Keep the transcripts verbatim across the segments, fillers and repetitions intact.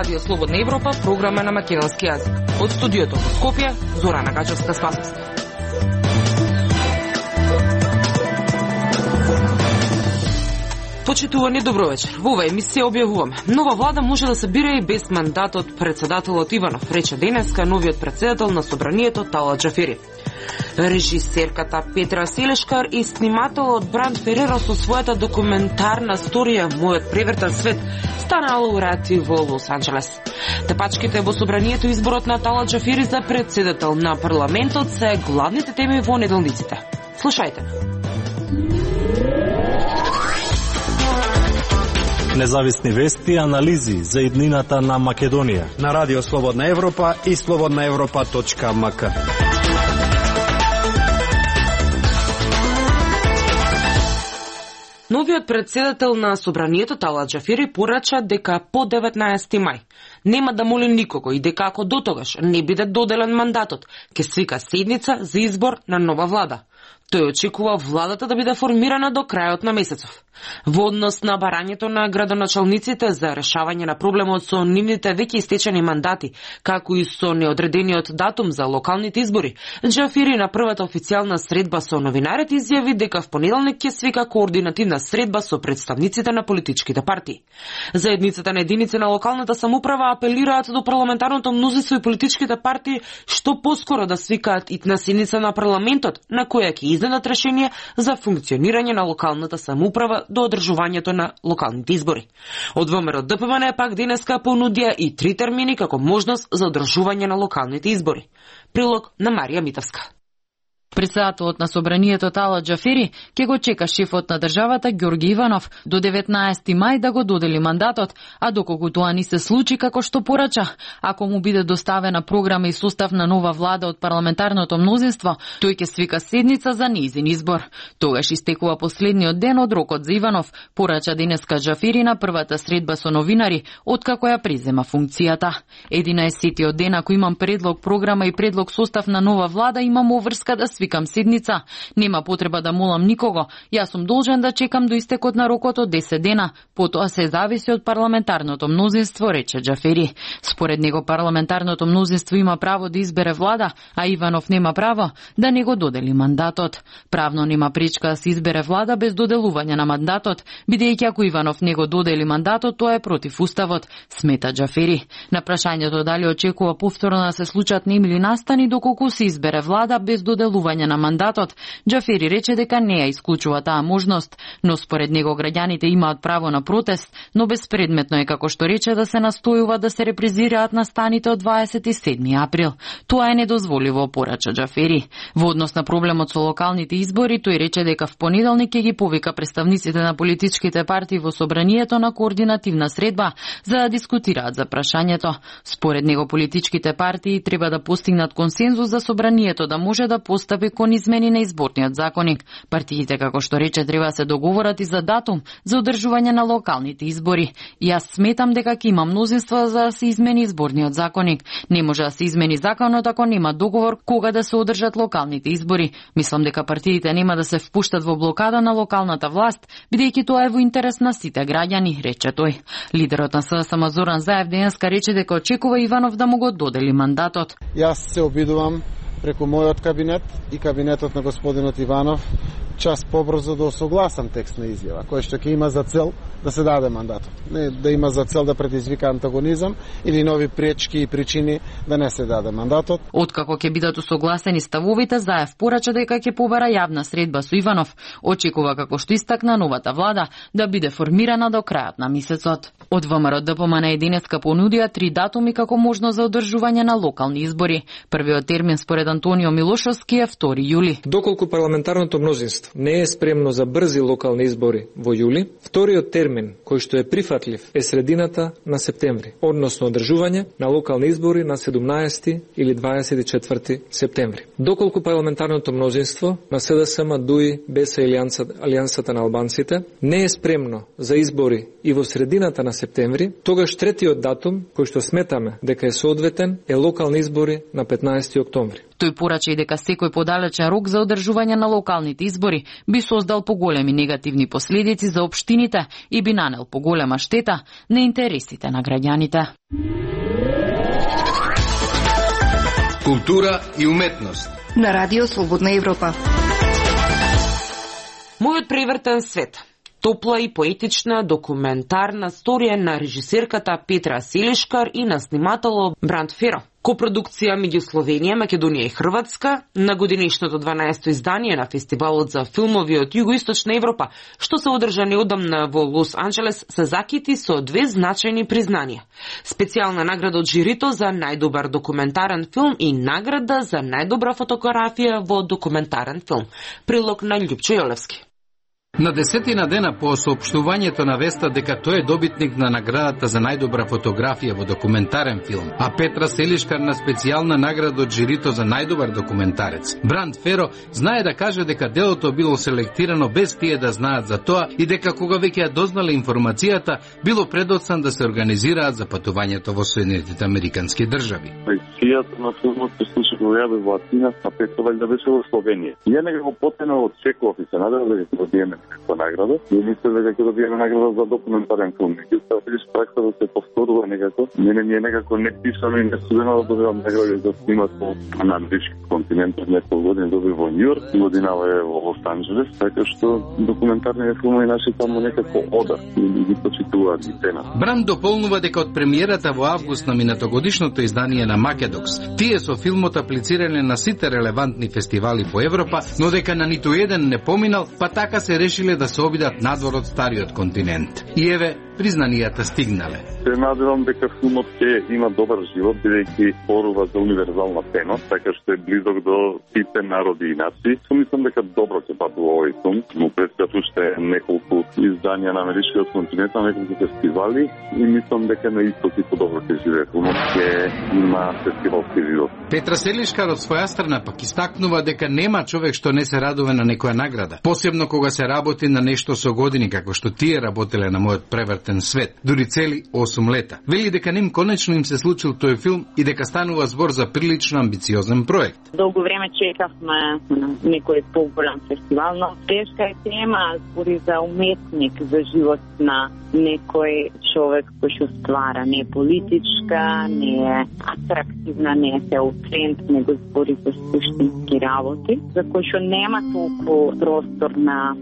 Радио Слободна Европа, програма на македонски јазик. Од студиото во Скопје, Зорана Гачевска-Спасовска. Почитувани, добро вечер. Во оваа емисија објавуваме: нова влада може да се бира и без мандат од председателот Иванов, рече денеска новиот председател на собранието Талат Џафери. Режисерката Петра Селешкар и снимателот Бранд Фереро со својата документарна сторија Мојот превртен свет станаа лауреати во Лос Анџелес. Тепачките во собранието и изборот на Талат Џафери за председател на парламентот се главните теми во неделниците. Слушајте. Независни вести и анализи за иднината на Македонија на Радио Слободна Европа и слободна европа точка ем ка. Новиот председател на собранието Талат Џафери порача дека по деветнаесети мај нема да моли никого и дека ако дотогаш не биде доделен мандатот, ќе свика седница за избор на нова влада. Тој очекува владата да биде формирана до крајот на месецов. Во однос на барањето на градоначалниците за решавање на проблемот со нивните веќе истечени мандати, како и со неодредениот датум за локалните избори, Џафери на првата официјална средба со новинарите изјави дека в понеделник ќе свика координативна средба со представниците на политичките партии. Заедницата на единици на локалната самоуправа апелираат до парламентарното мнозинство и политичките партии што поскоро да свикаат итна седница на парламентот, на која ќе издадат решение за функционирање на локалната самоуправа до одржувањето на локалните избори. Од ВМРО Д П М Н пак денеска понудија и три термини како можност за одржување на локалните избори. Прилог на Марија Митовска. Председателот на собранието Талат Џафери ќе го чека шефот на државата Ѓорги Иванов до деветнаесети мај да го додели мандатот, а доколку тоа не се случи како што порача, ако му биде доставена програма и состав на нова влада од парламентарното мнозинство, тој ќе свика седница за нејзин избор. Тогаш истекува последниот ден од рокот за Иванов, порача денеска Џафери на првата средба со новинари, откако ја презема функцијата. единаесеттиот ден, ако имам предлог програма и предлог состав на нова влада, имам обврска да свикам седница. Нема потреба да молам никого. Јас сум должен да чекам до истекот на рокот од десет дена. Потоа се зависи од парламентарното мнозинство, рече Џафери. Според него парламентарното мнозинство има право да избере влада, а Иванов нема право да не го додели мандатот. Правно нема пречка да се избере влада без доделување на мандатот, бидејќи ако Иванов не го додели мандатот, тоа е против уставот, смета Џафери. На прашањето дали очекува повторно да се случат неми или настани доколку се избере влада без доделување на мандатот, Џафери рече дека не ја исклучува таа можност, но според него граѓаните имаат право на протест, но безпредметно е, како што рече, да се настојува да се репрезираат настаните од дваесет и седми април. Тоа е недозволиво, порача Џафери. Во однос на проблемот со локалните избори, тој рече дека в понеделник ќе ги повика представниците на политичките партии во собранието на координативна средба за да дискутираат за прашањето. Според него политичките партии треба да постигнат консензус за собранието да може да постапи кон измени на изборниот законник. Партиите, како што рече, треба се договорат и за датум за одржување на локалните избори. Јас сметам дека ќе има мнозинство за да се измени изборниот законник. Не може да се измени законот ако нема договор кога да се одржат локалните избори. Мислам дека партиите нема да се впуштат во блокада на локалната власт, бидејќи тоа е во интерес на сите граѓани, рече тој. Лидерот на С С М Зоран Заев денеска рече дека очекува Иванов да му го додели мандатот. Јас се обидувам преку мојот кабинет и кабинетот на господинот Иванов час побрзо да осогласам текст на изјава, кој што ќе има за цел да се даде мандатот. Не да има за цел да предизвика антагонизам или нови пречки и причини да не се даде мандатот. Откако ќе бидат усогласени ставовите, Заев порача дека ќе побара јавна средба со Иванов. Очекува, како што истакна, новата влада да биде формирана до крајот на месецот. Од ВМРО Д П М Н денеска понудија три датуми како можност за одржување на локални избори. Првиот термин според Антонио Милошовски е втори јули. Доколку парламентарното мнозинство не е спремно за брзи локални избори во јули, вториот термин кој што е прифатлив е средината на септември, односно одржување на локални избори на седумнаесети или дваесет и четврти септември. Доколку парламентарното мнозинство на СДСМ, ДУИ, БЕСА и Алијансата на албанците не е спремно за избори и во средината на септември, тогаш третиот датум кој што сметаме дека е соодветен е локални избори на петнаесети октомври. Тој порача и дека секој подалечен рок за одржување на локалните избори би создал поголеми негативни последици за општините и би нанел поголема штета на интересите на граѓаните. Култура и уметност на Радио Слободна Европа. Мојот превртен свет. Топла и поетична документарна сторија на режисерката Петра Селишкар и на снимателот Бранд Феро. Копродукција меѓу Словенија, Македонија и Хрватска на годинишното дванаесто издание на Фестивалот за филмови од Југоисточна Европа, што се одржа неодамна во Лос Анџелес, се закити со две значајни признанија. Специјална награда од жирито за најдобар документарен филм и награда за најдобра фотографија во документарен филм. Прилог на Љупчо Јолевски. На десетина дена по соопштувањето на веста дека тој е добитник на наградата за најдобра фотографија во документарен филм, а Петра Селишкар на специјална награда од жирито за најдобар документарец. Бранд Феро знае да каже дека делото било селектирано без тие да знаат за тоа и дека кога веќе ја дознале информацијата, било предоцен да се организираат за патувањето во Соединетите Американски држави. Сијата на филмот се случи во јаве во Атина, а Петра валјда беше во Словенија. Ја некако потено очекував и се надевав дека ќе добиеме некаква награда. И мислев дека ќе добиеме награда за документарен филм. Меѓутоа, видиш, пракса да се повторува некако. Мене ми е некако неписано и несудено да добивам награди за снимат на англиски континент. Неколку години доби во Њујорк, годинава е во Лос Анџелес, така што документарниот филм и наши таму некако ода и ги почитуваат ги цена. Бранд дополнува дека од премиерата во август на минатогодишното издание на Македокс, тие со филмот аплицирале на сите релевантни фестивали по Европа, но дека на ниту еден не поминал, па така се решиле да се обидат надвор од стариот континент. И еве, признанијата стигнале. Се надевам дека филмот ќе има добар живот, бидејќи зборува за универзална тема, така што е близок до сите народи и нации. Мислам дека добро ќе патува овој филм, но предстојат уште неколку изданија на американскиот континент, на неколку фестивали и мислам дека на исто типо добро ќе живее филмот, ќе има фестивалски живот. Петра Селишкар од своја страна пак истакнува дека нема човек што не се радува на некоја награда, посебно кога се работи на нешто со години како што тие работеле на мојот превртен свет, дури цели осум лета. Вели дека ним конечно им се случил тој филм и дека станува збор за прилично амбициозен проект. Долго време чекавме на некој поголем фестивал, но тешка е тема, збори за уметник, за живот на некој човек кој што ствара, не е политичка, не е атрактивна, не е теоцент, него збори за суштински работи, за кој што нема толку простор на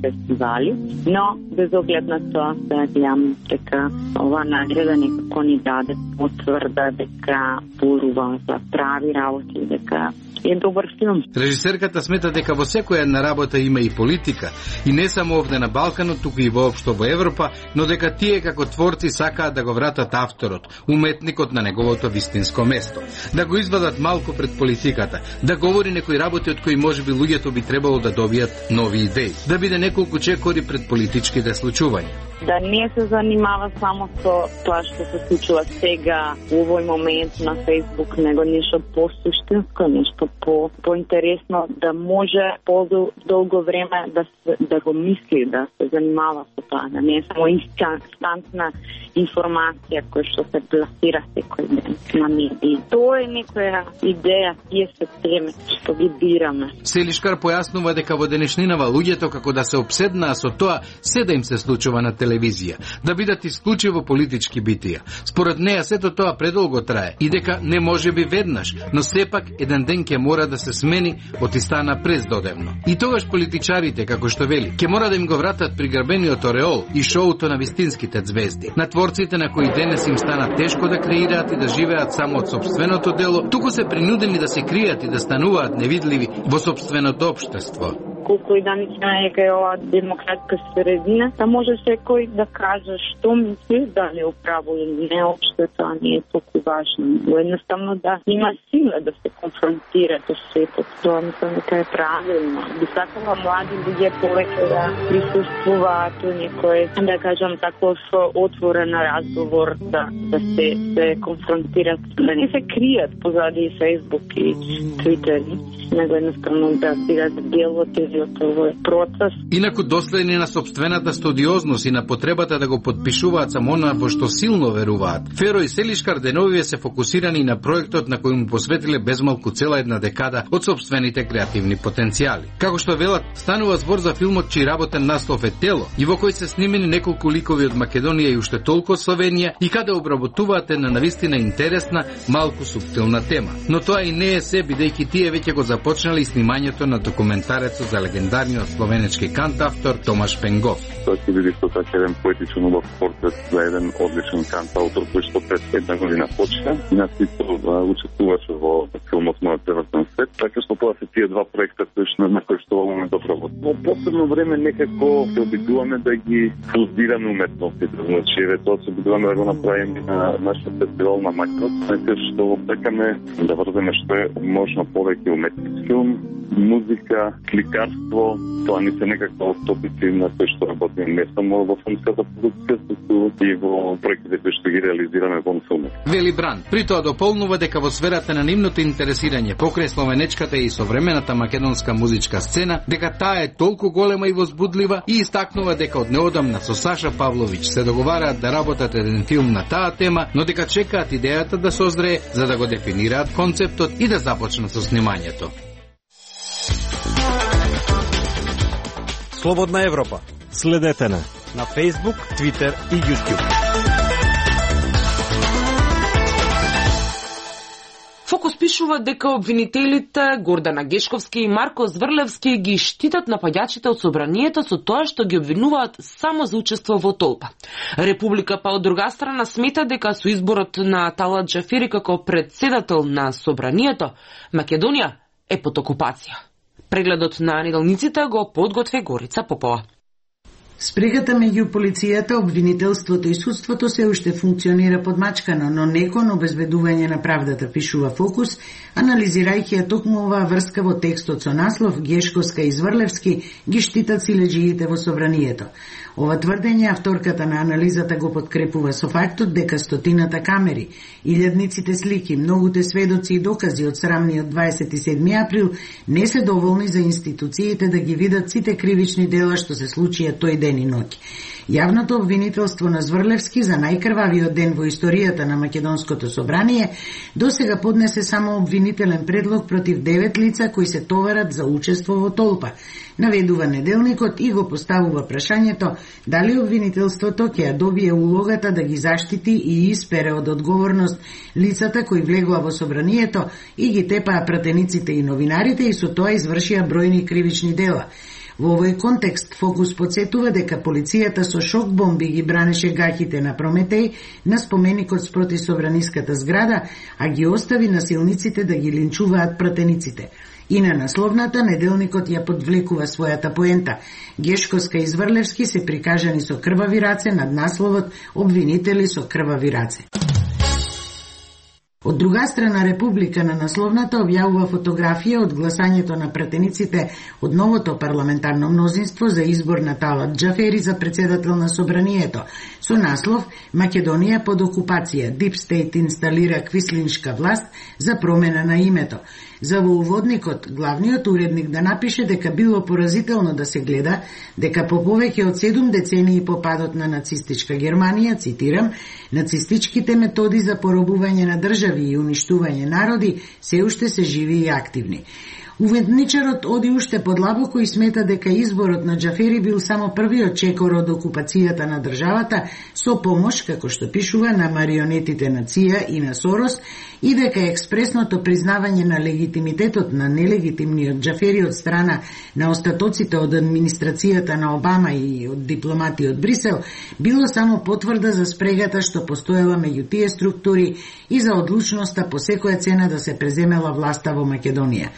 фестивали, но без оглед на тоа да гледам дека ова награда некако ни даде потврда дека зборува за прави работи, дека е добар филм. Режисерката смета дека во секоја една работа има и политика, и не само овде на Балканот, туку и воопшто во Европа, но дека тие како творци сакаат да го вратат авторот, уметникот на неговото вистинско место, да го извадат малку пред политиката, да говори некои работи од кои можеби луѓето би требало да добијат нови идеи, да биде неколку чекори пред политичките случувања. Да не се занимава само со тоа што се случува сега, во овој момент на Facebook, него нешто по-суштинско, нешто по поинтересно, да може по-долго време да се, да го мисли, да се занимава со тоа, да не е само инстантна информација која што се пласира секој ден на медии. Тоа е некоја идеја, тие се теме што ги бираме. Селишкар појаснува дека во денешнинава луѓето како да се обседнаа со тоа се да им се случува на телевизија, да бидат исклучиво политички битија. Според неа сето тоа предолго трае и дека не може би веднаш, но сепак еден ден ќе мора да се смени од и стана прездодевно. И тогаш политичарите, како што вели, ќе мора да им го вратат приграбениот ореол и шоуто на вистинските ѕвезди. На творците на кои денес им стана тешко да креираат и да живеат само од сопственото дело, туку се принудени да се кријат и да стануваат невидливи во сопственото општество. колку и да мислиме дека е ова демократска средина, да може секој да каже што мисли, дали е управо или не, општо тоа не е толку важно. Но едноставно да има сила да се конфронтира со светот. Тоа мислам дека е правилно. Би сакала млади луѓе повеќе да присуствуваат во некој, да кажам, таков отворен разговор, да, да се, се конфронтират, да не се кријат позади Facebook и Twitter, него едноставно да бидат дел од целиот овој процес. Инаку доследни на собствената студиозност и на потребата да го подпишуваат само она во што силно веруваат, Феро и Селишкар деновиве се фокусирани на проектот на кој му посветиле безмалку цела една декада од собствените креативни потенцијали. Како што велат, станува збор за филмот чиј работен наслов е Тело, и во кој се снимени неколку ликови од Македонија и уште толку од Словенија, и каде обработуваат една навистина интересна, малку суптилна тема. Но тоа и не е се, бидејќи тие веќе го започнали снимањето на документарецот за легендарниот словенечки кантавтор Томаш Пенгов. Тоа ќе биде исто така еден поетичен убав портрет за еден одличен кантаутор кој што пред една година почна и на сите учествуваше во филмот Мојот превртен свет, така што тоа се тие два проекта кои што на кои што во моментот работи. Во последно време некако се обидуваме да ги фузираме уметностите, значи еве тоа се обидуваме да го направиме на нашиот фестивал на Макрос, така што сакаме да врземе што е можно повеќе уметнички филм, музика, кликарство, тоа не се некаква топици на кои што работиме не само во филмската продукција, туку и во проектите кои што ги реализираме во филмот. Вели Бран, при тоа дополнува дека во сферата на нивното интересирање покрај словенечката и современата македонска музичка сцена, дека таа е толку голема и возбудлива, и истакнува дека од неодамна со Саша Павловиќ се договараат да работат еден филм на таа тема, но дека чекаат идејата да созрее за да го дефинираат концептот и да започнат со снимањето. Слободна Европа. Следете на на Facebook, Twitter и YouTube. Фокус пишува дека обвинителите Гордана Гешковски и Марко Зврлевски ги штитат напаѓачите од собранието со тоа што ги обвинуваат само за учество во толпа. Република па од друга страна смета дека со изборот на Талат Џафери како претседател на собранието, Македонија е под окупација. Прегледот на неделниците го подготви Горица Попова. Спрегата меѓу полицијата, обвинителството и судството се уште функционира подмачкано, но не кон обезбедување на правдата, пишува Фокус, анализирајќи ја токму оваа врска во текстот со наслов Гешковска и Зврлевски ги штитат силеџиите во собранието. Ова тврдење авторката на анализата го подкрепува со фактот дека стотината камери, илјадниците слики, многуте сведоци и докази од срамниот дваесет и седми април не се доволни за институциите да ги видат сите кривични дела што се случија тој ден и ноќ. Јавното обвинителство на Зврлевски за најкрвавиот ден во историјата на Македонското собрание досега поднесе само обвинителен предлог против девет лица кои се товарат за учество во толпа. Наведува неделникот и го поставува прашањето дали обвинителството ќе ја добие улогата да ги заштити и испере од одговорност лицата кои влегоа во собранието и ги тепаа пратениците и новинарите и со тоа извршија бројни кривични дела. Во овој контекст Фокус подсетува дека полицијата со шок бомби ги бранеше гаќите на Прометеј на споменикот спроти собраниската зграда, а ги остави насилниците да ги линчуваат пратениците. И на насловната неделникот ја подвлекува својата поента. Гешковска и Зврлевски се прикажани со крвави раце над насловот обвинители со крвави раце. Од друга страна, Република на насловната објавува фотографија од гласањето на пратениците од новото парламентарно мнозинство за избор на Талат Џафери за председател на собранието, со наслов Македонија под окупација, Deep State инсталира квислиншка власт за промена на името. За во уводникот, главниот уредник да напише дека било поразително да се гледа дека по повеќе од седум децении по падот на нацистичка Германија, цитирам, нацистичките методи за поробување на држави и уништување народи се уште се живи и активни. Уведничарот оди уште подлабоко и смета дека изборот на Џафери бил само првиот чекор од окупацијата на државата со помош, како што пишува, на марионетите на ЦИА и на Сорос, и дека експресното признавање на легитимитетот на нелегитимниот Џафери од страна на остатоците од администрацијата на Обама и од дипломати од Брисел било само потврда за спрегата што постоела меѓу тие структури и за одлучноста по секоја цена да се преземела власта во Македонија.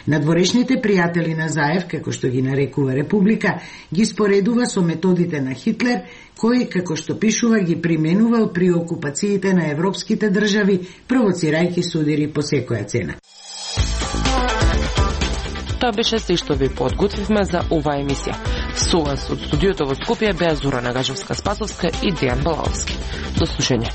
Надворешните пријатели на Заев, како што ги нарекува Република, ги споредува со методите на Хитлер, кој, како што пишува, ги применувал при окупациите на европските држави, провоцирајќи судири по секоја цена. Тоа беше се што ви подготвивме за оваа емисија. Со вас од студиото во Скопје беа Зора Нагажевска-Спасовска и Дејан Балаовски. До слушање.